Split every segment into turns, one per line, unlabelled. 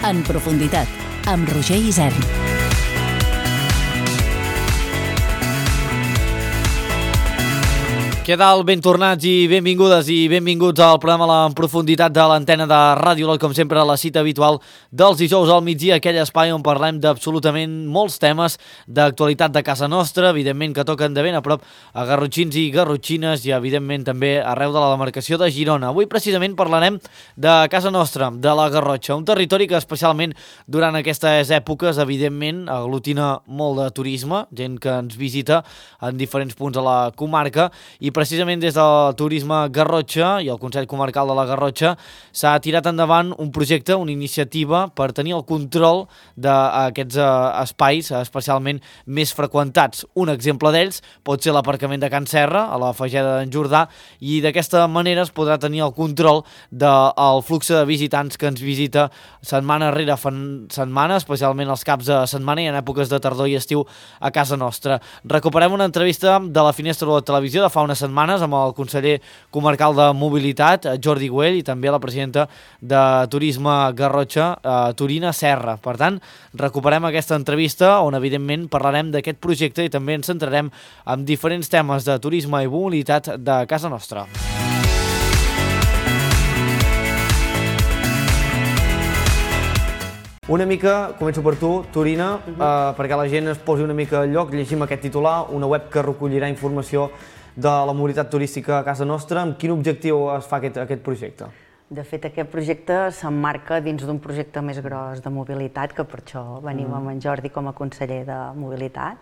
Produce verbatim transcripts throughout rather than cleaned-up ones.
En profunditat, amb Roger Isern.
Què tal? Ben tornats i benvingudes i benvinguts al programa En profunditat de l'antena de Ràdio Olot, com sempre, la cita habitual dels dijous al migdia, aquell espai on parlem d'absolutament molts temes d'actualitat de casa nostra, evidentment que toquen de ben a prop a garrotxins i garrotxines i evidentment també arreu de la demarcació de Girona. Avui precisament parlarem de casa nostra, de la Garrotxa, un territori que especialment durant aquestes èpoques evidentment aglutina molt de turisme, gent que ens visita en diferents punts de la comarca, i precisament des del Turisme Garrotxa i el Consell Comarcal de la Garrotxa s'ha tirat endavant un projecte, una iniciativa per tenir el control d'aquests espais especialment més freqüentats. Un exemple d'ells pot ser l'aparcament de Can Serra, a la Fageda d'en Jordà, i d'aquesta manera es podrà tenir el control del flux de visitants que ens visita setmana rere setmana, especialment els caps de setmana i en èpoques de tardor i estiu a casa nostra. Recuperem una entrevista de la Finestra de la Televisió de fa unes setmanes amb el conseller comarcal de Mobilitat, Jordi Güell, i també la presidenta de Turisme Garrotxa, Torina Serra. Per tant, recuperem aquesta entrevista on evidentment parlarem d'aquest projecte i també ens centrarem en diferents temes de turisme i mobilitat de casa nostra. Una mica, començo per tu, Torina, uh-huh. uh, perquè la gent es posi una mica al lloc, llegim aquest titular, una web que recollirà informació de la mobilitat turística a casa nostra. Amb quin objectiu es fa aquest, aquest projecte?
De fet, aquest projecte s'emmarca dins d'un projecte més gros de mobilitat, que per això venim uh-huh. amb en Jordi com a conseller de mobilitat,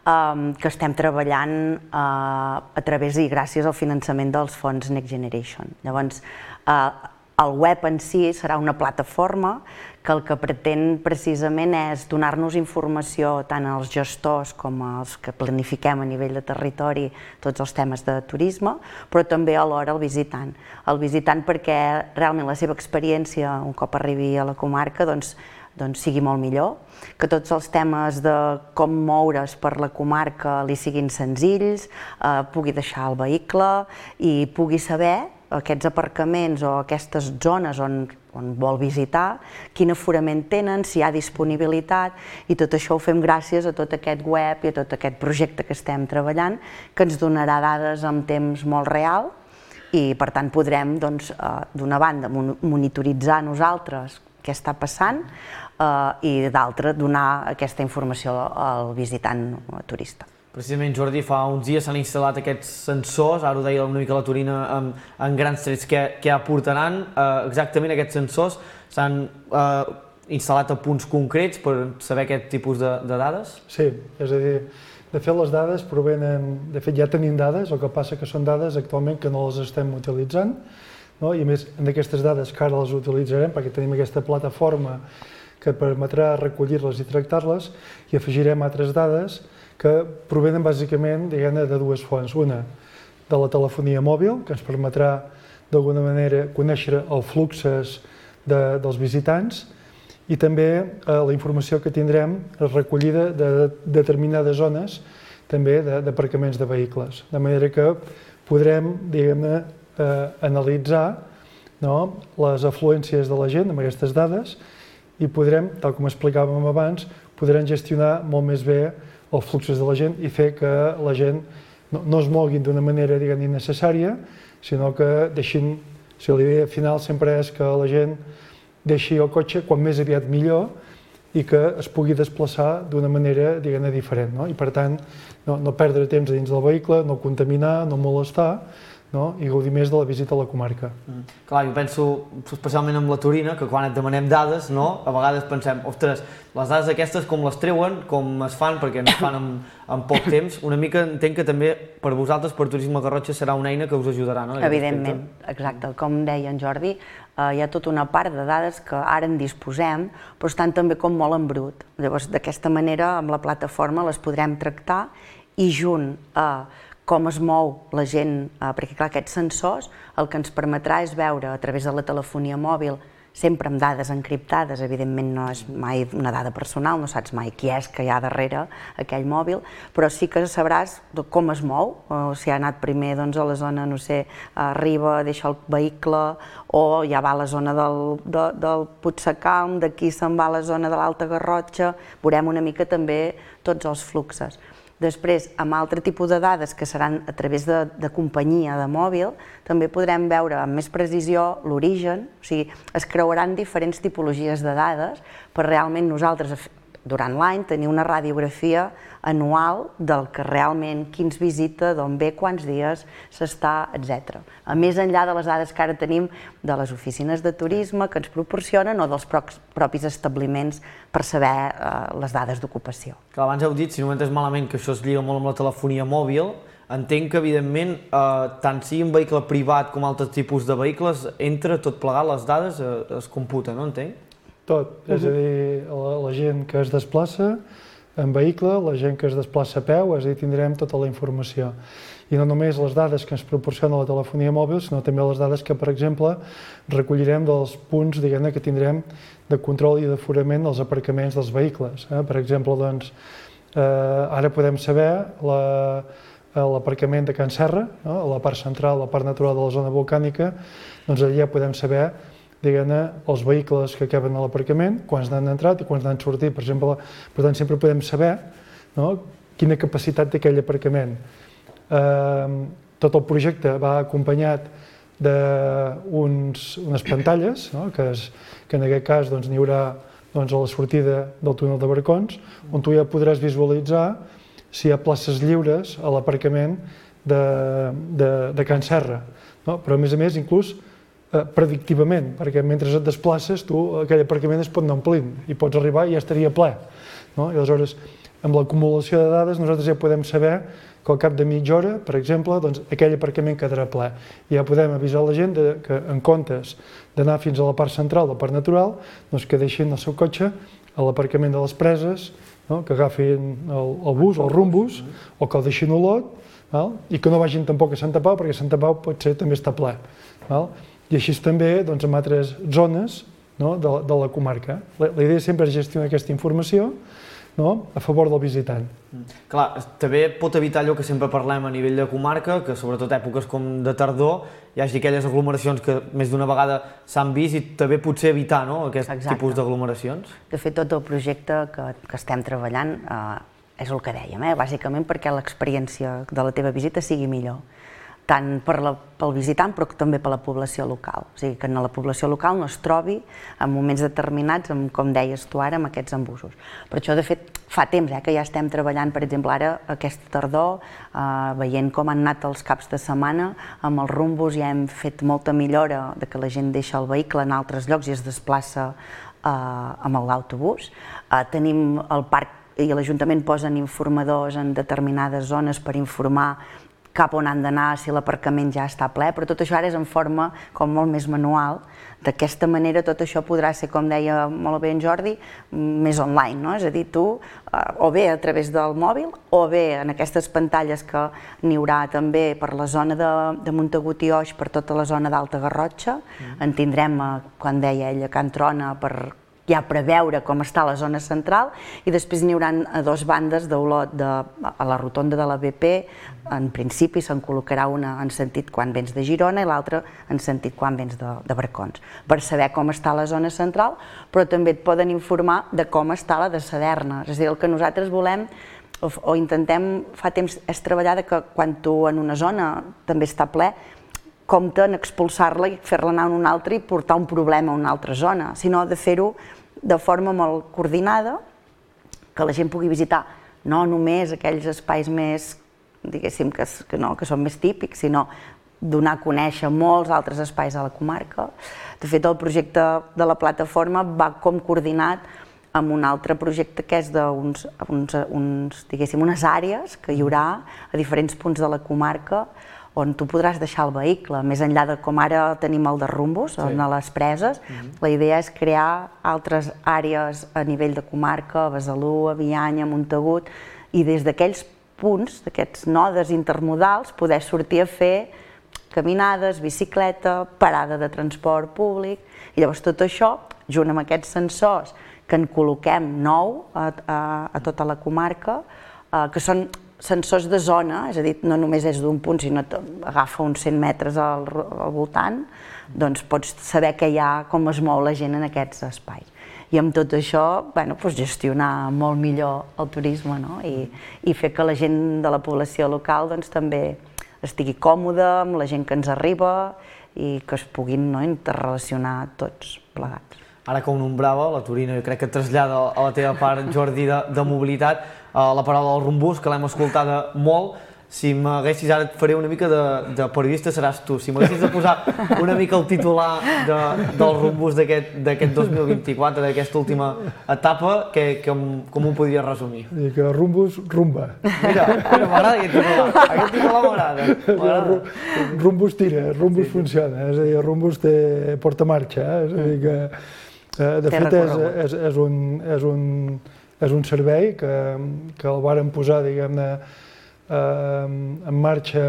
um, que estem treballant uh, a través i gràcies al finançament dels fons Next Generation. Llavors, uh, el web en si serà una plataforma que el que pretén precisament és donar-nos informació tant als gestors com als que planifiquem a nivell de territori tots els temes de turisme, però també alhora al visitant. El visitant perquè realment la seva experiència, un cop arribi a la comarca, doncs, doncs sigui molt millor, que tots els temes de com moure's per la comarca li siguin senzills, eh, pugui deixar el vehicle i pugui saber aquests aparcaments o aquestes zones on, on vol visitar, quin aforament tenen, si hi ha disponibilitat, i tot això ho fem gràcies a tot aquest web i a tot aquest projecte que estem treballant, que ens donarà dades en temps molt real i per tant podrem, doncs, eh, d'una banda monitoritzar nosaltres què està passant eh, i d'altra donar aquesta informació al visitant turista.
Precisament, Jordi, fa uns dies s'han instal·lat aquests sensors, ara ho deia una mica la Torina, en, en grans trets, què, què aportaran. Eh, exactament aquests sensors s'han eh, instal·lat a punts concrets per saber aquest tipus de, de dades?
Sí, és a dir, de fet les dades provenen, de fet ja tenim dades, el que passa que són dades actualment que no les estem utilitzant, no? I a més d'aquestes dades que ara les utilitzarem perquè tenim aquesta plataforma que permetrà recollir-les i tractar-les i afegirem altres dades que provenen bàsicament, diguem-ne, de dues fonts. Una, de la telefonia mòbil, que ens permetrà d'alguna manera conèixer els fluxos de, dels visitants, i també eh, la informació que tindrem recollida de, de determinades zones també d'aparcaments de, de vehicles. De manera que podrem, diguem-ne, eh, analitzar, no, les afluències de la gent amb aquestes dades i podrem, tal com explicàvem abans, podrem gestionar molt més bé els fluxos de la gent i fer que la gent no, no es moguin d'una manera, diguem, innecessària, sinó que deixin, si la idea final sempre és que la gent deixi el cotxe quan més aviat millor i que es pugui desplaçar d'una manera, diguem-ne, diferent, no? I per tant, no, no perdre temps dins del vehicle, no contaminar, no molestar, no? I gaudir més de la visita a la comarca.
Mm. Clar, jo penso especialment amb la Torina, que quan et demanem dades, no? A vegades pensem, ostres, les dades aquestes com les treuen, com es fan, perquè no es fan en, en poc temps. Una mica entenc que també per vosaltres, per Turisme Garrotxa, serà una eina que us ajudarà, no?
Evidentment, exacte. Com deia en Jordi, eh, hi ha tota una part de dades que ara en disposem, però estan també com molt en brut. Llavors, d'aquesta manera, amb la plataforma les podrem tractar i junt a com es mou la gent, eh, perquè clar, aquests sensors el que ens permetrà és veure a través de la telefonia mòbil sempre amb dades encriptades, evidentment no és mai una dada personal, no saps mai qui és que hi ha darrere aquell mòbil, però sí que sabràs com es mou, o si ha anat primer doncs, a la zona, no sé, arriba, deixa el vehicle, o ja va a la zona del, de, del Puigsecalm, d'aquí se'n va a la zona de l'Alta Garrotxa, veurem una mica també tots els fluxes. Després, amb altre tipus de dades que seran a través de, de companyia de mòbil, també podrem veure amb més precisió l'origen, o sigui, es creuaran diferents tipologies de dades per realment nosaltres, durant l'any, tenir una radiografia anual del que realment, qui ens visita, d'on ve, quants dies s'està, etcètera. A més enllà de les dades que ara tenim de les oficines de turisme que ens proporcionen o dels propis establiments per saber eh, les dades d'ocupació.
Abans heu dit, si no m'entens malament, que això es lliga molt amb la telefonia mòbil. Entenc que, evidentment, eh, tant sigui un vehicle privat com altres tipus de vehicles, entre tot plegat les dades eh, es computen, no entenc?
Tot, és a dir, la, la gent que es desplaça en vehicle, la gent que es desplaça a peu, és a dir, tindrem tota la informació. I no només les dades que ens proporciona la telefonia mòbil, sinó també les dades que, per exemple, recollirem dels punts, diguem-ne, que tindrem de control i d'aforament dels aparcaments dels vehicles. Eh? Per exemple, doncs, eh, ara podem saber l'aparcament de Can Serra, no? A la part central, la part natural de la zona volcànica, doncs allà podem saber diguem-ne, els vehicles que acaben a l'aparcament, quants n'han entrat i quants n'han sortit. Per exemple, per tant, sempre podem saber no, quina capacitat té aquell aparcament. Eh, tot el projecte va acompanyat d'unes pantalles, no, que, es, que en aquest cas doncs, n'hi haurà doncs, a la sortida del túnel de Barcons, on tu ja podràs visualitzar si hi ha places lliures a l'aparcament de, de, de Can Serra. No? Però a més a més, inclús, predictivament, perquè mentre et desplaces tu aquell aparcament es pot anar omplint i pots arribar i ja estaria ple. No? I aleshores, amb l'acumulació de dades nosaltres ja podem saber que al cap de mitja hora, per exemple, doncs, aquell aparcament quedarà ple. I ja podem avisar la gent de, que en comptes d'anar fins a la part central, la part natural, doncs, que deixin el seu cotxe a l'aparcament de les preses, no? Que agafin el, el bus o el rumbus, o que el deixin a Olot, val? I que no vagin tampoc a Santa Pau, perquè Santa Pau potser també està ple. Val? I així també doncs, en altres zones no, de, de la comarca. La, la idea sempre és gestionar aquesta informació no, a favor del visitant.
Mm. Clar, també pot evitar allò que sempre parlem a nivell de comarca, que sobretot èpoques com de tardor hi hagi aquelles aglomeracions que més d'una vegada s'han vist i també potser evitar no, aquest Exacte. Tipus d'aglomeracions.
De fet, tot el projecte que, que estem treballant eh, és el que dèiem, eh, bàsicament perquè l'experiència de la teva visita sigui millor. Tant per la, pel visitant, però també per la població local. O sigui, que en la població local no es trobi en moments determinats, amb, com deies tu ara, amb aquests embussos. Per això, de fet, fa temps eh, que ja estem treballant, per exemple, ara, aquesta tardor, eh, veient com han anat els caps de setmana, amb els rumbos ja hem fet molta millora de que la gent deixa el vehicle en altres llocs i es desplaça eh, amb l'autobús. Eh, tenim el parc i l'Ajuntament posen informadors en determinades zones per informar cap on han d'anar, si l'aparcament ja està ple, però tot això ara és en forma com molt més manual. D'aquesta manera tot això podrà ser, com deia molt bé en Jordi, més online, no? És a dir, tu, o bé a través del mòbil, o bé en aquestes pantalles que n'hi haurà també per la zona de, de Montagut i Oix, per tota la zona d'Alta Garrotxa, mm. en tindrem, quan deia ella, Can Trona, per ja preveure com està la zona central, i després n'hi haurà a dues bandes d'Olot, de, a la rotonda de la B P, en principi se'n col·locarà una en sentit quan vens de Girona i l'altra en sentit quan vens de, de Barcons, per saber com està la zona central, però també et poden informar de com està la de Saderna. És a dir, el que nosaltres volem o, o intentem fa temps és treballar de que quan tu en una zona també està ple, compte en expulsar-la i fer-la anar a una altra i portar un problema a una altra zona, sinó de fer-ho de forma molt coordinada, que la gent pugui visitar no només aquells espais més, diguéssim, que, que, no, que són més típics, sinó donar a conèixer molts altres espais a la comarca. De fet, el projecte de la plataforma va com coordinat amb un altre projecte que és d'uns, uns, uns, diguéssim, unes àrees que hi haurà a diferents punts de la comarca on tu podràs deixar el vehicle, més enllà de com ara tenim el de rumbos, sí. A les preses. Mm-hmm. La idea és crear altres àrees a nivell de comarca, a Besalú, a Bianya, a Montagut, i des d'aquells punts, d'aquests nodes intermodals, poder sortir a fer caminades, bicicleta, parada de transport públic, i llavors tot això, junt amb aquests sensors que en col·loquem nou a, a, a tota la comarca, eh, que són sensors de zona, és a dir, no només és d'un punt, sinó que agafa uns cent metres al, al voltant, doncs pots saber que hi ha, com es mou la gent en aquests espais. I amb tot això, bueno, doncs gestionar molt millor el turisme, no? I, i fer que la gent de la població local doncs, també estigui còmoda amb la gent que ens arriba i que es puguin, no, interrelacionar tots plegats.
Ara que ho nombrava, la Torina, jo crec que trasllada a la teva part, Jordi, de, de mobilitat, eh, la paraula del rumbús, que l'hem escoltada molt. Si m'haguessis, ara et faré una mica de, de periodista, seràs tu. Si m'haguessis de posar una mica el titular de, del rumbús d'aquest dos mil vint-i-quatre, d'aquesta última etapa, que, que, com ho podries resumir?
I que rumbús, rumba.
Mira, mira m'agrada aquest titular. Aquest titular m'agrada.
Rumbús tira, rumbús sí, funciona. És a dir, rumbús té porta marxa. És a dir que, de fet, és, és, és, un, és, un, és un servei que, que el varen posar, diguem-ne, en marxa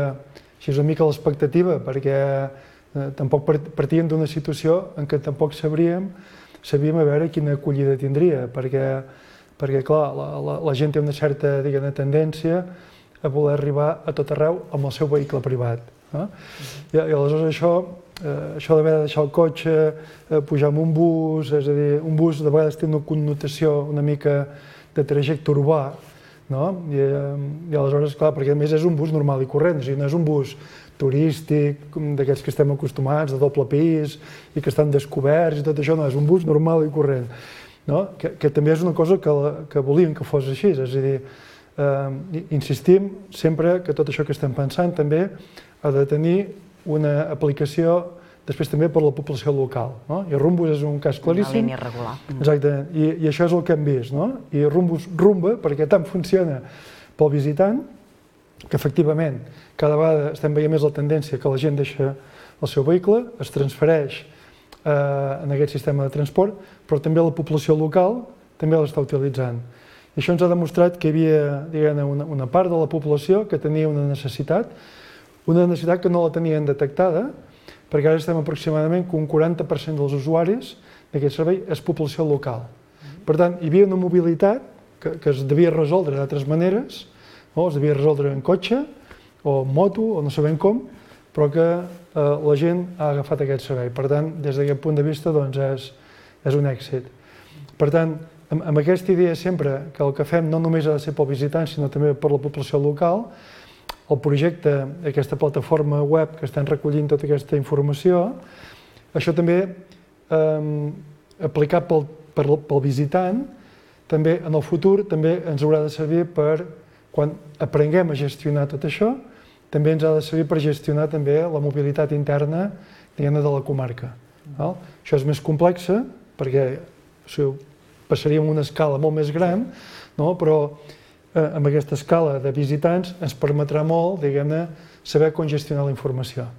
així una mica l'expectativa, perquè tampoc partíem d'una situació en què tampoc sabríem, sabíem a veure quina acollida tindria, perquè, perquè clar, la, la, la gent té una certa, diguem-ne, tendència a voler arribar a tot arreu amb el seu vehicle privat. No? I, I aleshores això, eh, això d'haver de deixar el cotxe, eh, pujar amb un bus, és a dir, un bus de vegades té una connotació una mica de trajecte urbà, no? I, I aleshores, clar, perquè a més és un bus normal i corrent, o sigui, no és un bus turístic, d'aquests que estem acostumats, de doble pis, i que estan descoberts i tot això, no, és un bus normal i corrent, no? Que, que també és una cosa que, la, que volíem que fos així, és a dir, eh, insistim sempre que tot això que estem pensant també ha de tenir una aplicació després també per la població local, no? I Rumbus és un cas claríssim.
Una línia regular.
Exactament, I, i això és el que hem vist, no? I Rumbus rumba, perquè tant funciona pel visitant, que efectivament cada vegada estem veient més la tendència que la gent deixa el seu vehicle, es transfereix eh, en aquest sistema de transport, però també la població local també l'està utilitzant. I això ens ha demostrat que hi havia, diguem-ne, una, una part de la població que tenia una necessitat, una necessitat que no la tenien detectada, perquè ara estem aproximadament que un quaranta per cent dels usuaris d'aquest servei és població local. Per tant, hi havia una mobilitat que, que es devia resoldre d'altres maneres, no? Es devia resoldre en cotxe o en moto o no sabem com, però que eh, la gent ha agafat aquest servei. Per tant, des d'aquest punt de vista, doncs, és, és un èxit. Per tant, amb, amb aquesta idea sempre que el que fem no només ha de ser pel visitant, sinó també per la població local, el projecte, aquesta plataforma web que estan recollint tota aquesta informació, això també eh, aplicat pel, pel, pel visitant, també en el futur també ens haurà de servir per, quan aprenguem a gestionar tot això, també ens ha de servir per gestionar també la mobilitat interna, diguem-ne, de la comarca. Val? Això és més complex, perquè o sigui, passaríem una escala molt més gran, no? Però amb aquesta escala de visitants ens permetrà molt, diguem-ne, saber com gestionar la informació.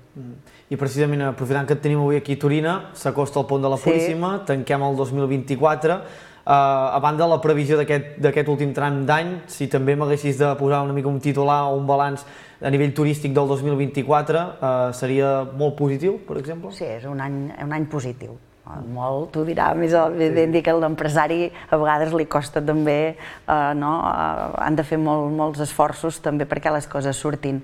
I precisament, aprofitant que et tenim avui aquí a Torina, s'acosta el pont de la Puríssima, sí. Tanquem el dos mil vint-i-quatre. Uh, a banda de la previsió d'aquest últim tram d'any, si també m'haguessis de posar una mica un titular o un balanç a nivell turístic del dos mil vint-i-quatre, uh, seria molt positiu, per exemple?
Sí, és un any, un any positiu. Molt, t'ho dirà, més evident dir que l'empresari a vegades li costa també, eh, no? Eh, han de fer molt, molts esforços també perquè les coses surtin,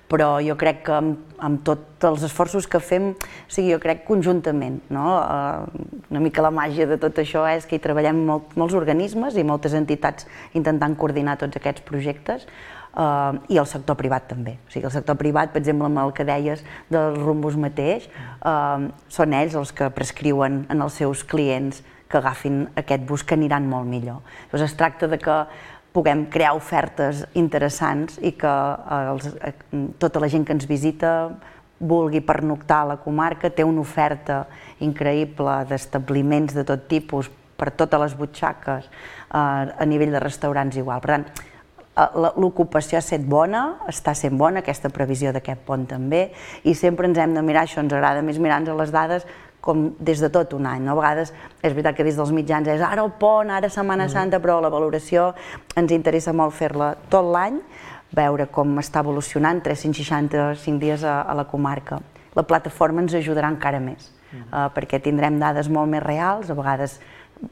però jo crec que amb, amb tots els esforços que fem, o sigui, jo crec conjuntament, no? Eh, una mica la màgia de tot això és que hi treballem molt, molts organismes i moltes entitats intentant coordinar tots aquests projectes, Uh, i el sector privat també. O sigui, el sector privat, per exemple, amb el que deies del Rumbus mateix, uh, són ells els que prescriuen en els seus clients que agafin aquest bus, que aniran molt millor. Llavors es tracta de que puguem crear ofertes interessants i que uh, els, uh, tota la gent que ens visita vulgui pernoctar a la comarca, té una oferta increïble d'establiments de tot tipus per totes les butxaques, uh, a nivell de restaurants igual. Per tant, l'ocupació ha estat bona, està sent bona, aquesta previsió d'aquest pont també, i sempre ens hem de mirar, això ens agrada més mirar-nos les dades com des de tot un any. No? A vegades és veritat que des dels mitjans és ara el pont, ara Setmana Santa, però la valoració ens interessa molt fer-la tot l'any, veure com està evolucionant, tres-cents seixanta-cinc dies a, a la comarca. la plataforma ens ajudarà encara més, uh, perquè tindrem dades molt més reals, a vegades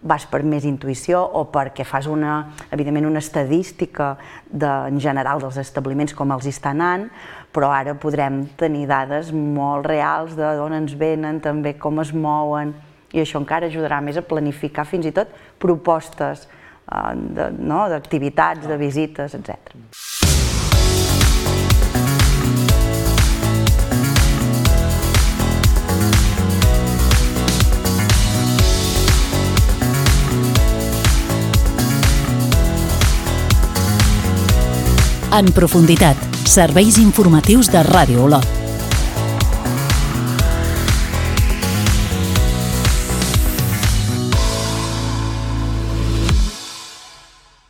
vas per més intuïció o perquè fas una, evidentment, una estadística de, en general dels establiments com els hi està anant, però ara podrem tenir dades molt reals d'on ens venen, també com es mouen, i això encara ajudarà més a planificar fins i tot propostes uh, de, no, d'activitats, de visites, etcètera.
En profunditat, serveis informatius de Ràdio Olot.